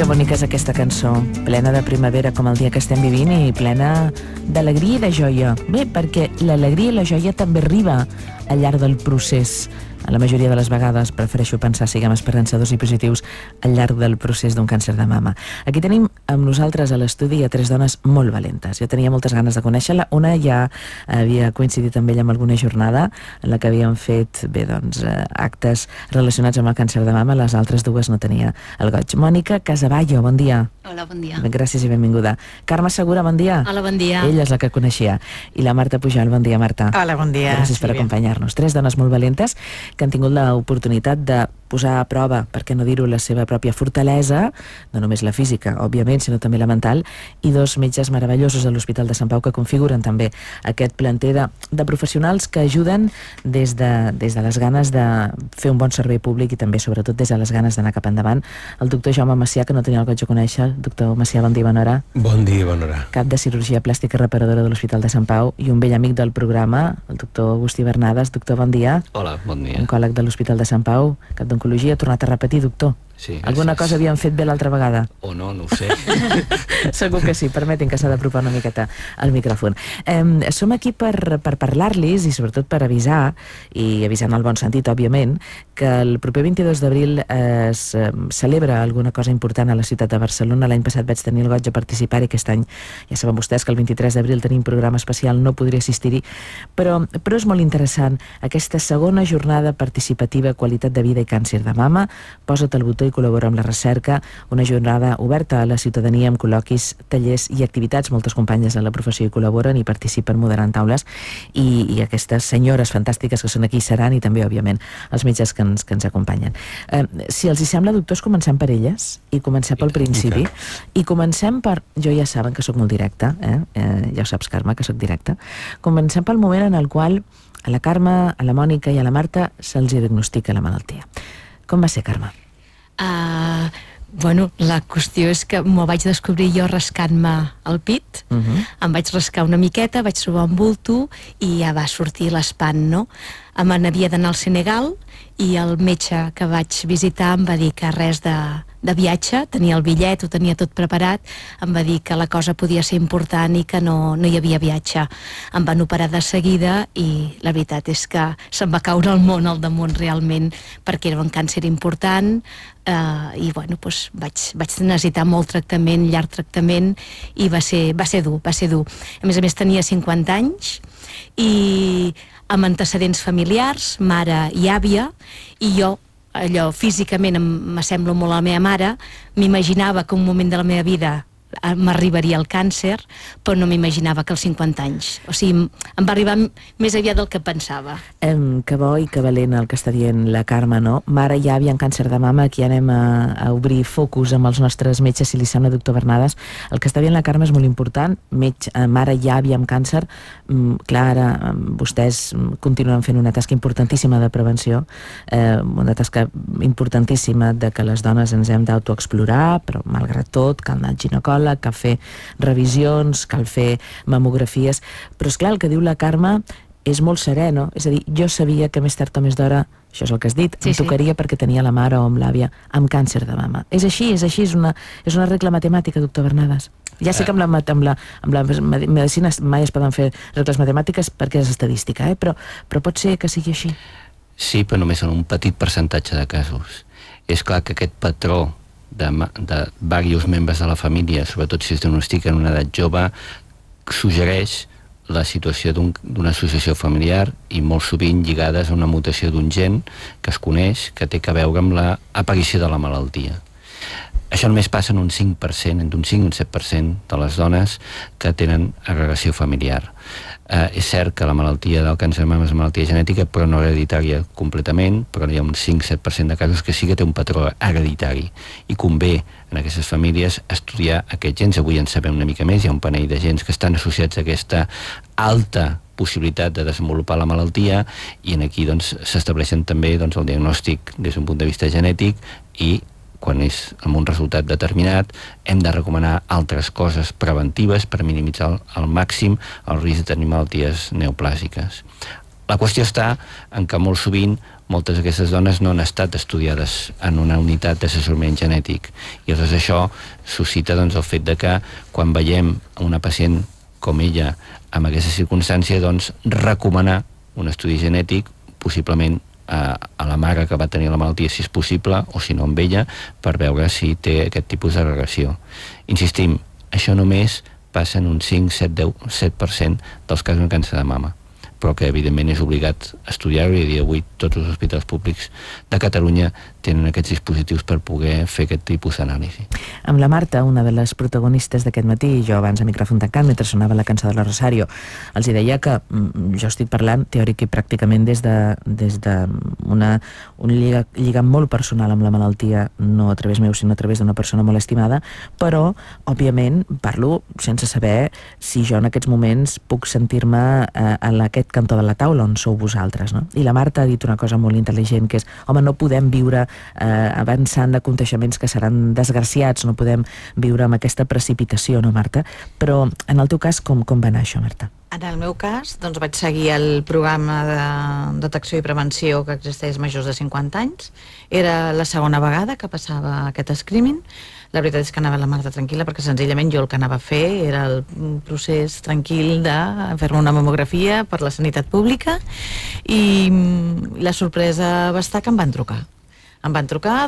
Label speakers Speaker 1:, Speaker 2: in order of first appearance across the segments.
Speaker 1: Que bonica és aquesta cançó, plena de primavera com el dia que estem vivint i plena d'alegria i de joia. Bé, perquè l'alegria i la joia també arriba al llarg del procés. La majoria de les vegades prefereixo pensar, siguem esperançadors i positius, al llarg del procés d'un càncer de mama. Aquí tenim amb nosaltres a l'estudi a 3 dones molt valentes. Jo tenia moltes ganes de conèixer-la. Una ja havia coincidit amb ella en alguna jornada en la que havíem fet, bé, doncs, actes relacionats amb el càncer de mama. Les altres dues no tenia el goig. Mònica Casavallo, bon dia.
Speaker 2: Hola, bon dia.
Speaker 1: Gràcies i benvinguda. Carme Segura, bon dia.
Speaker 2: Hola, bon dia.
Speaker 1: Ella és la que coneixia. I la Marta Pujol, bon dia, Marta.
Speaker 3: Hola, bon dia.
Speaker 1: Gràcies per acompanyar-nos. 3 dones molt valentes que han tingut l'oportunitat de posar a prova, per què no dir-ho, la seva pròpia fortalesa, no només la física, òbviament, sinó també la mental, i 2 metges meravellosos de l'Hospital de Sant Pau que configuren també aquest planter de professionals que ajuden des de les ganes de fer un bon servei públic i també, sobretot, des de les ganes d'anar cap endavant. El doctor Jaume Macià, que no tenia el goig de conèixer. Doctor Macià, bon dia, bona hora.
Speaker 4: Bon dia, bona hora.
Speaker 1: Cap de cirurgia plàstica reparadora de l'Hospital de Sant Pau i un vell amic del programa, el doctor Agustí Bernades. Doctor, bon dia.
Speaker 5: Hola, bon dia.
Speaker 1: Oncòleg de l'Hospital de Sant Pau, cap d'oncologia. Ha tornat a repetir, doctor.
Speaker 5: Sí,
Speaker 1: alguna cosa havíem fet bé l'altra vegada?
Speaker 5: O no, no ho sé.
Speaker 1: Segur que sí, permetin que s'ha d'apropar una miqueta al micròfon. Som aquí per parlar-los i sobretot per avisar, i avisar en el bon sentit, òbviament, que el proper 22 d'abril es celebra alguna cosa important a la ciutat de Barcelona. L'any passat vaig tenir el goig de participar i aquest any ja saben vostès que el 23 d'abril tenim programa especial, no podré assistir-hi, però és molt interessant aquesta segona jornada participativa Qualitat de vida i càncer de mama. Posa't el botó i col·labora amb la recerca, una jornada oberta a la ciutadania amb col·loquis, tallers i activitats. Moltes companyes de la professió hi col·laboren i participen moderant taules i aquestes senyores fantàstiques que són aquí seran, i també, òbviament, els metges que ens acompanyen. Si els hi sembla, doctors, comencem per elles i comencem pel principi. I comencem per... Jo ja saben que sóc molt directa, ja ho saps, Carme, que sóc directa. Comencem pel moment en el qual a la Carme, a la Mònica i a la Marta se'ls diagnostica la malaltia. Com va ser, Carme?
Speaker 2: Bueno, la qüestió és que m'ho vaig descobrir jo rascant-me el pit. Em vaig rascar una miqueta, vaig trobar un bulto i ja va sortir l'espant, no? Me n'havia d'anar al Senegal i el metge que vaig visitar em va dir que res de viatge, tenia el bitllet, ho tenia tot preparat, em va dir que la cosa podia ser important i que no hi havia viatge. Em van operar de seguida i la veritat és que se'm va caure el món al damunt realment, perquè era un càncer important i bueno, doncs vaig necessitar molt tractament, llarg tractament, i va ser dur. A més tenia 50 anys i amb antecedents familiars, mare i àvia, i jo, allò, físicament m'assemblo molt a la meva mare, m'imaginava que un moment de la meva vida m'arribaria el càncer, però no m'imaginava que als 50 anys. O sigui, em va arribar més aviat del que pensava.
Speaker 1: Que bo i que valent el que està dient la Carme, no? Mare i àvia amb càncer de mama, aquí anem a obrir focus amb els nostres metges, si li sembla, doctor Bernades. El que està dient la Carme és molt important. Mare i àvia amb càncer, clar, ara vostès continuen fent una tasca importantíssima de prevenció, una tasca importantíssima de que les dones ens hem d'autoexplorar, però malgrat tot cal anar al ginecòleg, cal fer revisions, cal fer mamografies, però és clar, el que diu la Carme és molt serè, no? És a dir, jo sabia que més tard o més d'hora, això és el que has dit, em tocaria perquè tenia la mare o amb l'àvia amb càncer de mama. És així, és una regla matemàtica, doctor Bernades. Ja sé que amb la medicina mai es poden fer regles matemàtiques perquè és estadística, però pot ser que sigui així.
Speaker 5: Sí, però només en un petit percentatge de casos. És clar que aquest patró de diversos membres de la família, sobretot si es diagnostica en una edat jove, suggereix la situació d'una associació familiar i molt sovint lligades a una mutació d'un gen que es coneix, que té a veure amb l'aparició de la malaltia. Això només passa en un 5%, entre un 5 i un 7% de les dones que tenen agregació familiar. És cert que la malaltia del càncer de mama és una malaltia genètica, però no hereditària completament, però hi ha un 5-7% de casos que sí que té un patró hereditari. I convé en aquestes famílies estudiar aquests gens. Avui en sabem una mica més, hi ha un panell de gens que estan associats a aquesta alta possibilitat de desenvolupar la malaltia, i aquí s'estableixen també el diagnòstic des d'un punt de vista genètic, i quan és amb un resultat determinat hem de recomanar altres coses preventives per minimitzar al màxim el risc de tenir malalties neoplàsiques. La qüestió està en que molt sovint moltes d'aquestes dones no han estat estudiades en una unitat d'assessorament genètic i llavors això suscita doncs, el fet de que quan veiem una pacient com ella amb aquesta circumstància, doncs recomanar un estudi genètic possiblement a la mare que va tenir la malaltia si és possible o si no amb ella per veure si té aquest tipus de regressió. Insistim, això només passa en un 5, 7, 10, 7% dels casos de càncer de mama, però que evidentment és obligat estudiar-ho i a dia d'avui tots els hospitals públics de Catalunya tenen aquests dispositius per poder fer aquest tipus d'anàlisi.
Speaker 1: Amb la Marta, una de les protagonistes d'aquest matí, jo abans a micròfon tancat, mentre sonava la cançó de la Rosario, els hi deia que jo estic parlant teòric i pràcticament des d'un lligam molt personal amb la malaltia, no a través meu, sinó a través d'una persona molt estimada, però, òbviament, parlo sense saber si jo en aquests moments puc sentir-me en aquest cantó de la taula on sou vosaltres, no? I la Marta ha dit una cosa molt intel·ligent, que és, home, no podem viure avançant aconteixements que seran desgraciats, no podem viure amb aquesta precipitació, no, Marta? Però en el teu cas, com va anar això, Marta?
Speaker 3: En el meu cas, doncs vaig seguir el programa de detecció i prevenció que existeix majors de 50 anys. Era la segona vegada que passava aquest screening. La veritat és que anava la Marta tranquil·la perquè senzillament jo el que anava a fer era el procés tranquil de fer-me una mamografia per la sanitat pública i la sorpresa va estar que em van trucar. Em van trucar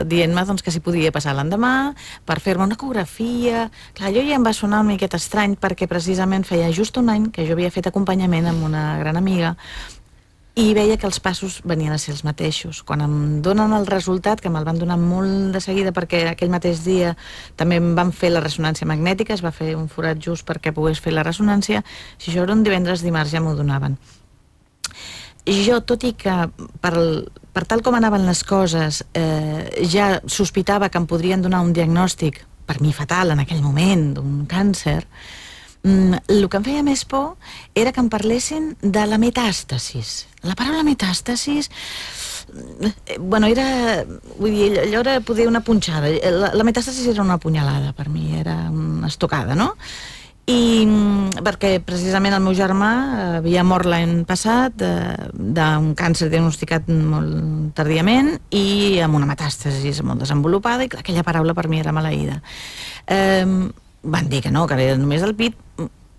Speaker 3: dient-me que si podia passar l'endemà per fer-me una ecografia. Clar, jo ja em va sonar una miqueta estrany perquè precisament feia just un any que jo havia fet acompanyament amb una gran amiga i veia que els passos venien a ser els mateixos. Quan em donen el resultat, que me'l van donar molt de seguida perquè aquell mateix dia també em van fer la ressonància magnètica, es va fer un forat just perquè pogués fer la ressonància, si això era un divendres, dimarts ja m'ho donaven. I jo, tot i que per tal com anaven les coses ja sospitava que em podrien donar un diagnòstic, per mi fatal en aquell moment, d'un càncer, el que em feia més por era que em parlessin de la metàstasis. La paraula metàstasis, bueno, era, vull dir, allò era poder una punxada. La metàstasis era una punyalada per mi, era una estocada, no? I perquè precisament el meu germà havia mort l'any passat d'un càncer diagnosticat molt tardíament i amb una metàstasi molt desenvolupada i clar, aquella paraula per mi era maleïda. Van dir que no, que era només el pit.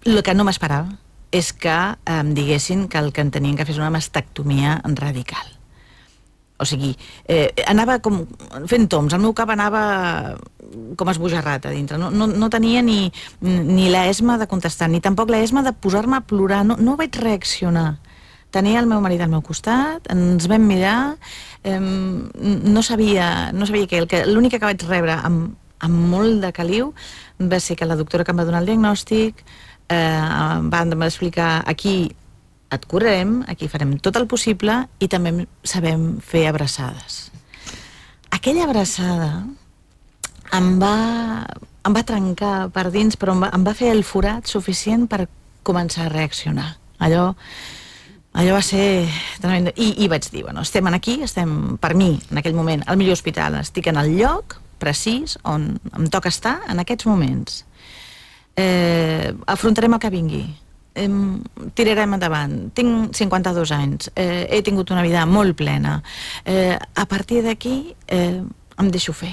Speaker 3: El que no m'esperava és que em diguessin que el que en tenien que fer és una mastectomia radical. O sigui, anava com fent toms, el meu cap anava com esbojarrat a dintre, no tenia ni l'esma de contestar, ni tampoc l'esma de posar-me a plorar, no vaig reaccionar. Tenia el meu marit al meu costat, ens vam mirar, no sabia què, l'única que vaig rebre amb molt de caliu va ser que la doctora que em va donar el diagnòstic va explicar aquí et curarem, aquí farem tot el possible i també sabem fer abraçades. Aquella abraçada em va trencar per dins, però em va fer el forat suficient per començar a reaccionar. Allò va ser tremendo. I vaig dir, bueno, estem aquí, estem, per mi, en aquell moment, al millor hospital, estic en el lloc precís on em toca estar en aquests moments. Afrontarem el que vingui. Tirarem endavant. Tinc 52 anys, he tingut una vida molt plena. A partir d'aquí em deixo fer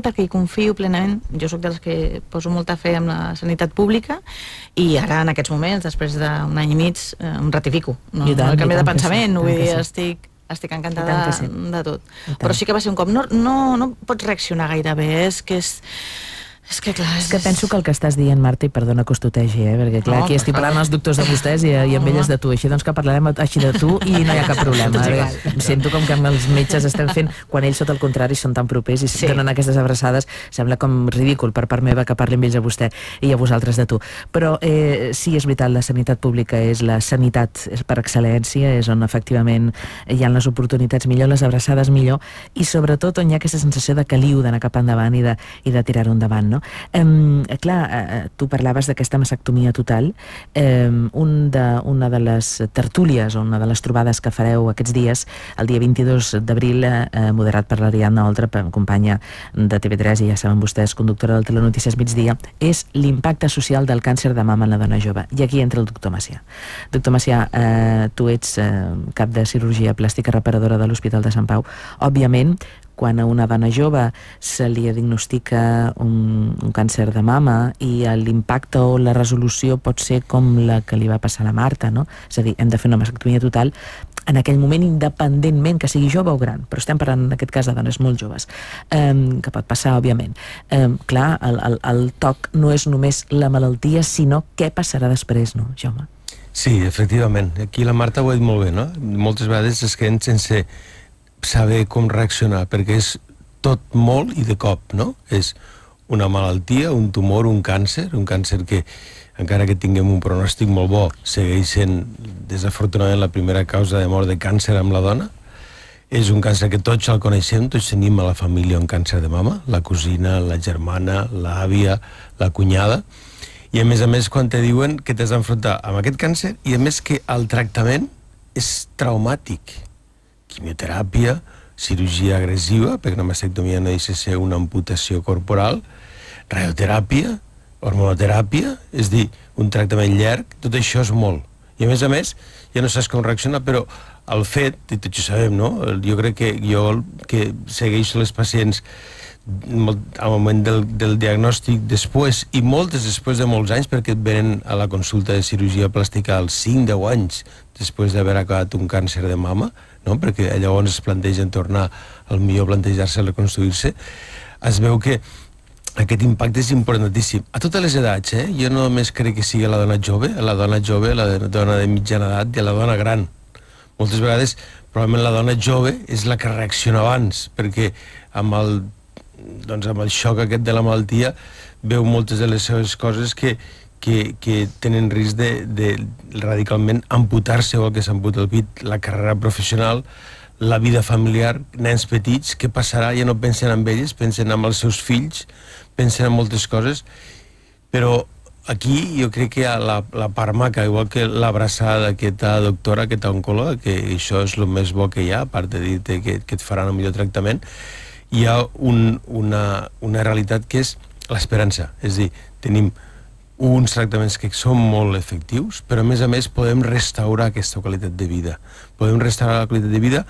Speaker 3: perquè hi confio plenament. Jo sóc dels que poso molta fe en la sanitat pública i ara en aquests moments, després d'un any i mig, em ratifico. No canvio de pensament, vull dir, estic encantada de tot. Però sí que va ser un cop. No pots reaccionar gaire bé, és que clar...
Speaker 1: És que penso que el que estàs dient, Marta, i perdona que us tutegi, perquè clar, aquí estic parlant els doctors de vostès i amb elles de tu, així doncs que parlarem així de tu i no hi ha cap problema. Sento com que els metges estem fent, quan ells, tot el contrari, són tan propers i donen aquestes abraçades, sembla com ridícul per part meva que parlin ells a vostè i a vosaltres de tu. Però sí, és veritat, la sanitat pública és la sanitat per excel·lència, és on efectivament hi ha les oportunitats millor, les abraçades millor i sobretot on hi ha aquesta sensació de caliu d'anar cap endavant i de tirar-ho endavant, no? no? Clar, tu parlaves d'aquesta mastectomia total. Una de les tertúlies o una de les trobades que fareu aquests dies, el dia 22 d'abril, moderat per l'Ariadna Oltra, companya de TV3 i ja saben vostès, conductora del Telenotícies Migdia, és l'impacte social del càncer de mama en la dona jove. I aquí entra el doctor Macià. Doctor Macià, tu ets cap de cirurgia plàstica reparadora de l'Hospital de Sant Pau. Òbviament, quan a una dona jove se li diagnostica un càncer de mama i l'impacte o la resolució pot ser com la que li va passar a la Marta, no? És a dir, hem de fer una mastectomia total en aquell moment, independentment que sigui jove o gran, però estem parlant en aquest cas de dones molt joves, que pot passar, òbviament. Clar, el toc no és només la malaltia, sinó què passarà després, no, Jaume?
Speaker 4: Sí, efectivament. Aquí la Marta ho ha dit molt bé, no? Moltes vegades es queden sense saber com reaccionar, perquè és tot molt i de cop, no? És una malaltia, un tumor, un càncer que, encara que tinguem un pronòstic molt bo, segueix sent, desafortunadament, la primera causa de mort de càncer amb la dona. És un càncer que tots el coneixem, tots tenim a la família un càncer de mama, la cosina, la germana, l'àvia, la cunyada, i a més, quan te diuen que t'has d'enfrontar amb aquest càncer, i a més que el tractament és traumàtic. Quimioteràpia, cirurgia agressiva, perquè una mastectomia no deixa ser una amputació corporal, radioteràpia, hormonoteràpia, és dir, un tractament llarg, tot això és molt. I a més, ja no saps com reaccionar, però el fet, i tots ho sabem, no? Jo crec que jo que segueixo les pacients al moment del diagnòstic després, i moltes després de molts anys, perquè et venen a la consulta de cirurgia plàstica als 5-10 anys després d'haver acabat un càncer de mama, no? Perquè llavors es plantegen tornar, al millor plantejar-se reconstruir-se, es veu que aquest impacte és importantíssim. A totes les edats, jo no només crec que sigui la dona jove, la dona de mitjana edat i la dona gran. Moltes vegades, probablement la dona jove és la que reacciona abans, perquè amb el xoc aquest de la malaltia veu moltes de les seves coses que tenen risc de radicalment amputar-se o el que s'amputa el pit, la carrera professional, la vida familiar, nens petits, què passarà? Ja no pensen en elles, pensen en els seus fills, pensen en moltes coses, però aquí jo crec que hi ha la part maca, igual que l'abraçada d'aquesta doctora, aquesta oncòloga, que això és el més bo que hi ha, a part de dir-te que et faran el millor tractament, hi ha una realitat que és l'esperança, és a dir, tenim uns tractaments que són molt efectius, però a més podem restaurar aquesta qualitat de vida. Podem restaurar la qualitat de vida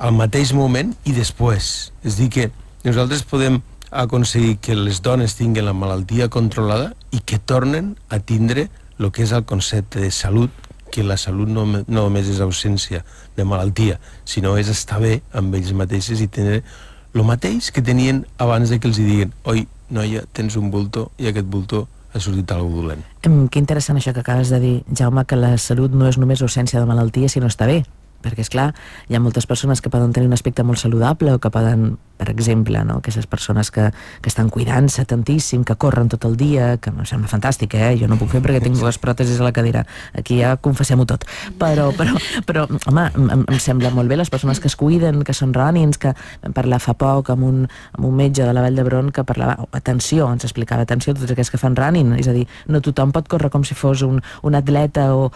Speaker 4: al mateix moment i després. És a dir, que nosaltres podem aconseguir que les dones tinguin la malaltia controlada i que tornen a tindre el que és el concepte de salut, que la salut no només és ausència de malaltia, sinó és estar bé amb ells mateixes i tenir el mateix que tenien abans de que els diguin: oi, noia, tens un bulto i aquest bulto ha sortit alguna dolent.
Speaker 1: Que interessant això que acabes de dir, Jaume, que la salut no és només ausència de malaltia, sinó estar bé. Perquè, esclar, hi ha moltes persones que poden tenir un aspecte molt saludable o que poden, per exemple, no? Aquestes persones que estan cuidant-se tantíssim, que corren tot el dia, que em sembla fantàstic, jo no puc fer perquè tinc dues pròtesis a la cadira. Aquí ja confessem-ho tot. Però home, em sembla molt bé les persones que es cuiden, que són runnings, que vam parlar fa poc amb un metge de la Vall d'Hebron que parlava, atenció, ens explicava, atenció a tots aquells que fan running, és a dir, no tothom pot córrer com si fos un atleta o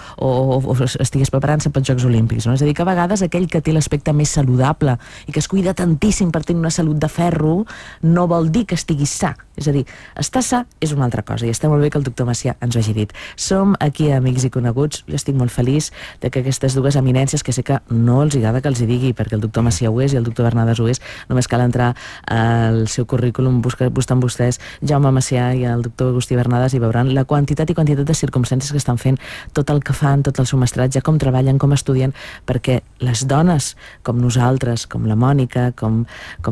Speaker 1: estigués preparant-se pels Jocs Olímpics, no? És a dir, que a vegades aquell que té l'aspecte més saludable i que es cuida tantíssim per tenir una salut de ferro no vol dir que estigui sa. És a dir, estar sa és una altra cosa i està molt bé que el doctor Macià ens ho hagi dit. Som aquí Amics i Coneguts, jo estic molt feliç de que aquestes dues eminències, que sé que no els agrada que els hi digui perquè el doctor Macià ho és i el doctor Bernades ho és, només cal entrar al seu currículum, busquen vostès Jaume Macià i el doctor Agustí Bernades i veuran la quantitat de circumstàncies que estan fent, tot el que fan, tot el seu mestratge, com treballen, com estudien, perquè les dones com nosaltres, com la Mònica, com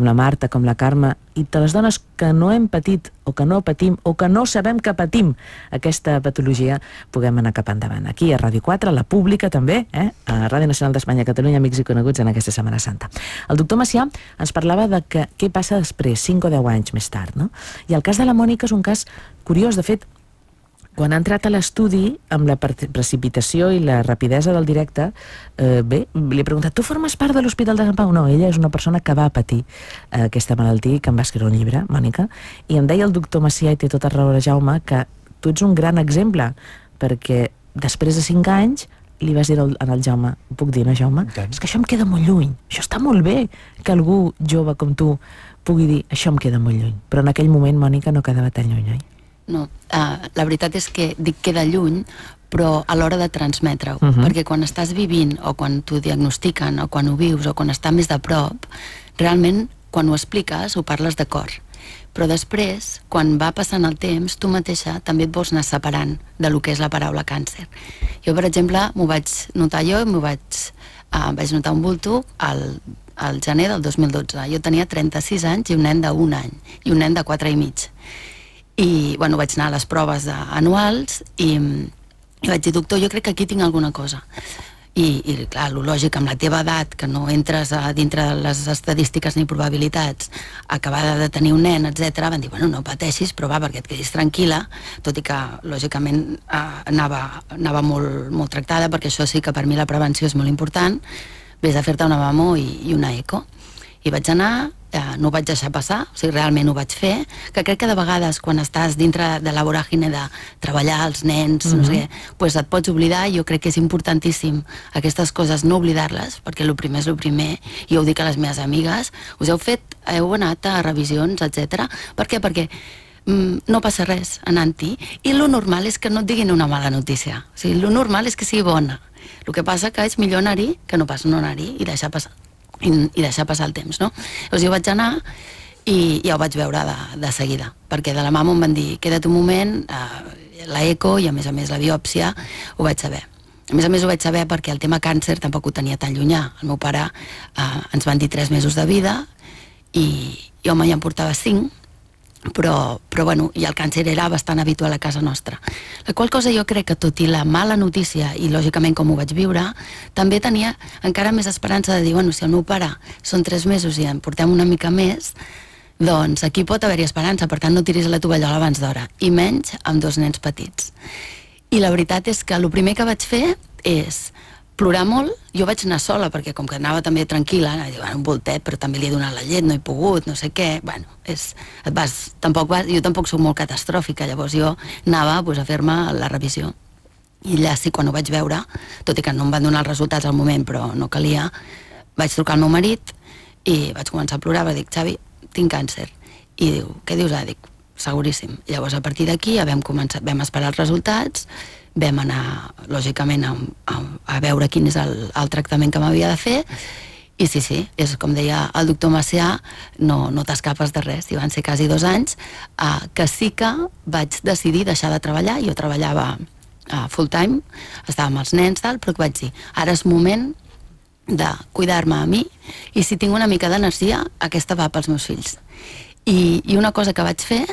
Speaker 1: la Marta, com la Carme, i de les dones que no hem patit o que no patim o que no sabem que patim aquesta patologia, puguem anar cap endavant. Aquí a Ràdio 4, a la pública també, a Ràdio Nacional d'Espanya, Catalunya, Amics i Coneguts en aquesta Setmana Santa. El doctor Macià ens parlava de què passa després, 5 o 10 anys més tard, no? I el cas de la Mònica és un cas curiós. De fet, Quan ha entrat a l'estudi, amb la precipitació i la rapidesa del directe, bé, li he preguntat, tu formes part de l'Hospital de Sant Pau? No, ella és una persona que va patir aquesta malaltia i que em va escriure un llibre, Mònica, i em deia el doctor Macià, i té tota raó Jaume, que tu ets un gran exemple, perquè després de 5 anys li vas dir al Jaume, ho puc dir, no, Jaume? És que això em queda molt lluny, això està molt bé que algú jove com tu pugui dir, això em queda molt lluny, però en aquell moment, Mònica, no quedava tan lluny, oi?
Speaker 6: No, la veritat és que dic queda lluny, però a l'hora de transmetre-ho, perquè quan estàs vivint o quan t'ho diagnostiquen o quan ho vius o quan està més de prop, realment quan ho expliques ho parles de cor, però després, quan va passant el temps, tu mateixa també et vols anar separant de lo que és la paraula càncer. Jo, per exemple, m'ho vaig notar jo i vaig notar un bulto al gener del 2012. Jo tenia 36 anys i un nen d'1 any i un nen de 4 i mig. I, bueno, vaig anar a les proves anuals i vaig dir, doctor, jo crec que aquí tinc alguna cosa. I clar, lo lògic, amb la teva edat, que no entres dintre de les estadístiques ni probabilitats, acabada de tenir un nen, etc., van dir, bueno, no pateixis, però va, perquè et quedis tranquil·la, tot i que, lògicament, anava molt tractada, perquè això sí que per mi la prevenció és molt important, vés a fer-te una mammo i una eco. I vaig anar, no ho vaig deixar passar, o sigui, realment ho vaig fer, que crec que de vegades quan estàs dintre de la voràgine de treballar els nens, no sé què, doncs et pots oblidar, i jo crec que és importantíssim aquestes coses no oblidar-les, perquè el primer és el primer, i jo ho dic a les meves amigues, us heu anat a revisions, etc. Per què? Perquè no passa res anant-hi, i lo normal és que no et diguin una mala notícia, o sigui, lo normal és que sigui bona, el que passa que és millor anar-hi que no pas no anar-hi i deixar passar el temps, no? Llavors jo vaig anar i ja ho vaig veure de seguida, perquè de la mama em van dir, queda't un moment, la eco i a més la biòpsia, ho vaig saber. A més ho vaig saber perquè el tema càncer tampoc ho tenia tan llunyà. El meu pare ens van dir 3 mesos de vida i home, ja em portava 5, però bueno, i el càncer era bastant habitual a casa nostra. La qual cosa jo crec que tot i la mala notícia i lògicament com ho vaig viure, també tenia encara més esperança de dir, bueno, si el meu pare són 3 mesos i en portem una mica més, doncs aquí pot haver-hi esperança, per tant no tiris la tovallola abans d'hora, i menys amb 2 nens petits. I la veritat és que el primer que vaig fer és plorar molt. Jo vaig anar sola, perquè com que anava també tranquil·la, un voltet, però també li he donat la llet, no he pogut, no sé què, bueno, jo tampoc soc molt catastròfica, llavors jo anava a fer-me la revisió. I allà sí, quan ho vaig veure, tot i que no em van donar els resultats al moment, però no calia, vaig trucar al meu marit i vaig començar a plorar, vaig dir, Xavi, tinc càncer. I diu, què dius? Dic, seguríssim. I llavors a partir d'aquí ja vam esperar els resultats, vam anar, lògicament, a veure quin és el tractament que m'havia de fer, i sí, és com deia el doctor Macià, no t'escapes de res, i van ser quasi 2 anys, que sí que vaig decidir deixar de treballar. Jo treballava full time, estava amb els nens, però que vaig dir, ara és moment de cuidar-me a mi, i si tinc una mica d'energia, aquesta va pels meus fills. I una cosa que vaig fer,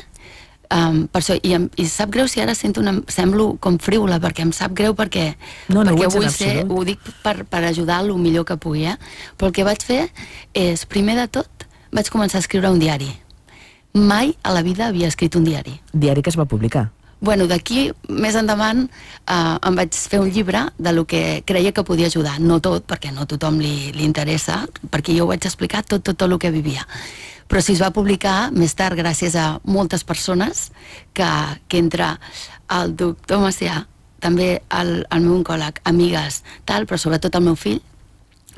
Speaker 6: per això, i sap greu si ara semblo com frívola, perquè em sap greu perquè vull ser, ho dic per ajudar el millor que pugui, però el que vaig fer és, primer de tot, vaig començar a escriure un diari. Mai a la vida havia escrit un diari.
Speaker 1: Diari que es va publicar?
Speaker 6: Bueno, d'aquí, més endavant, em vaig fer un llibre de lo que creia que podia ajudar. No tot, perquè no a tothom li interessa, perquè jo ho vaig explicar tot el que vivia. Però sí es va publicar més tard gràcies a moltes persones que entre el doctor Macià, també el meu oncòleg, amigues, però sobretot el meu fill,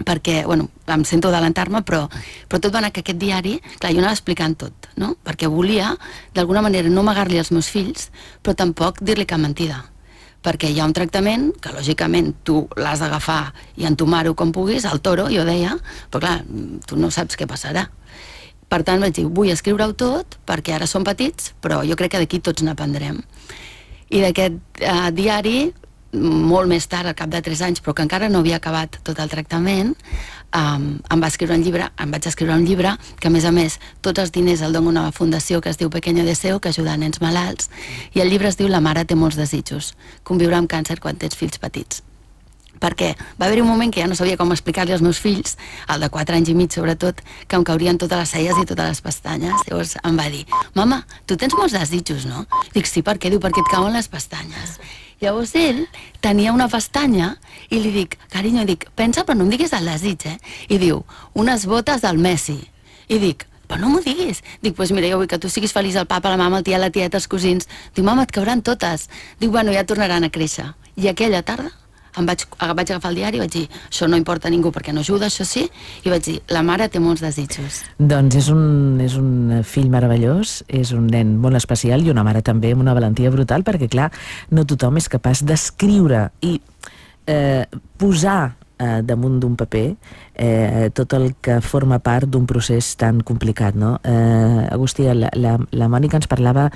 Speaker 6: perquè, bueno, em sento adelantar-me, però tot va anar que aquest diari, clar, jo anava explicant tot, no? Perquè volia, d'alguna manera, no amagar-li als meus fills, però tampoc dir-li cap mentida. Perquè hi ha un tractament que, lògicament, tu l'has d'agafar i entomar-ho com puguis, al toro, jo deia, però clar, tu no saps què passarà. Per tant, vaig dir, vull escriure-ho tot, perquè ara som petits, però jo crec que d'aquí tots n'aprendrem. I d'aquest diari, molt més tard, al cap de 3 anys, però que encara no havia acabat tot el tractament, em vaig escriure un llibre, que a més, tots els diners el dono a una fundació que es diu Pequeño Deseo, que ajuda a nens malalts, i el llibre es diu La mare té molts desitjos, conviure amb càncer quan tens fills petits. perquè va haver-hi un moment que ja no sabia com explicar-li als meus fills, el de 4 anys i mig sobretot, que em caurien totes les celles i totes les pestanyes. Llavors em va dir, mama, tu tens molts desitjos, no? Dic, sí, per què? Diu, perquè et cauen les pestanyes. Llavors ell tenia una pestanya i li dic, carinyo, dic, pensa però no em diguis el desig, I diu, unes botes del Messi. I dic, però no m'ho diguis. Dic, doncs mira, jo vull que tu siguis feliç, el papa, la mama, el tia, la tieta, els cosins. Diu, mama, et cauran totes. Dic, bueno, ja tornaran a créixer. I aquella tarda vaig agafar el diari i vaig dir, això no importa a ningú perquè no ajuda, això sí, i vaig dir, la mare té molts desitjos.
Speaker 1: Doncs és un fill meravellós, és un nen molt especial i una mare també amb una valentia brutal, perquè clar, no tothom és capaç d'escriure i posar damunt d'un paper tot el que forma part d'un procés tan complicat, no? Agustí, la Mònica ens parlava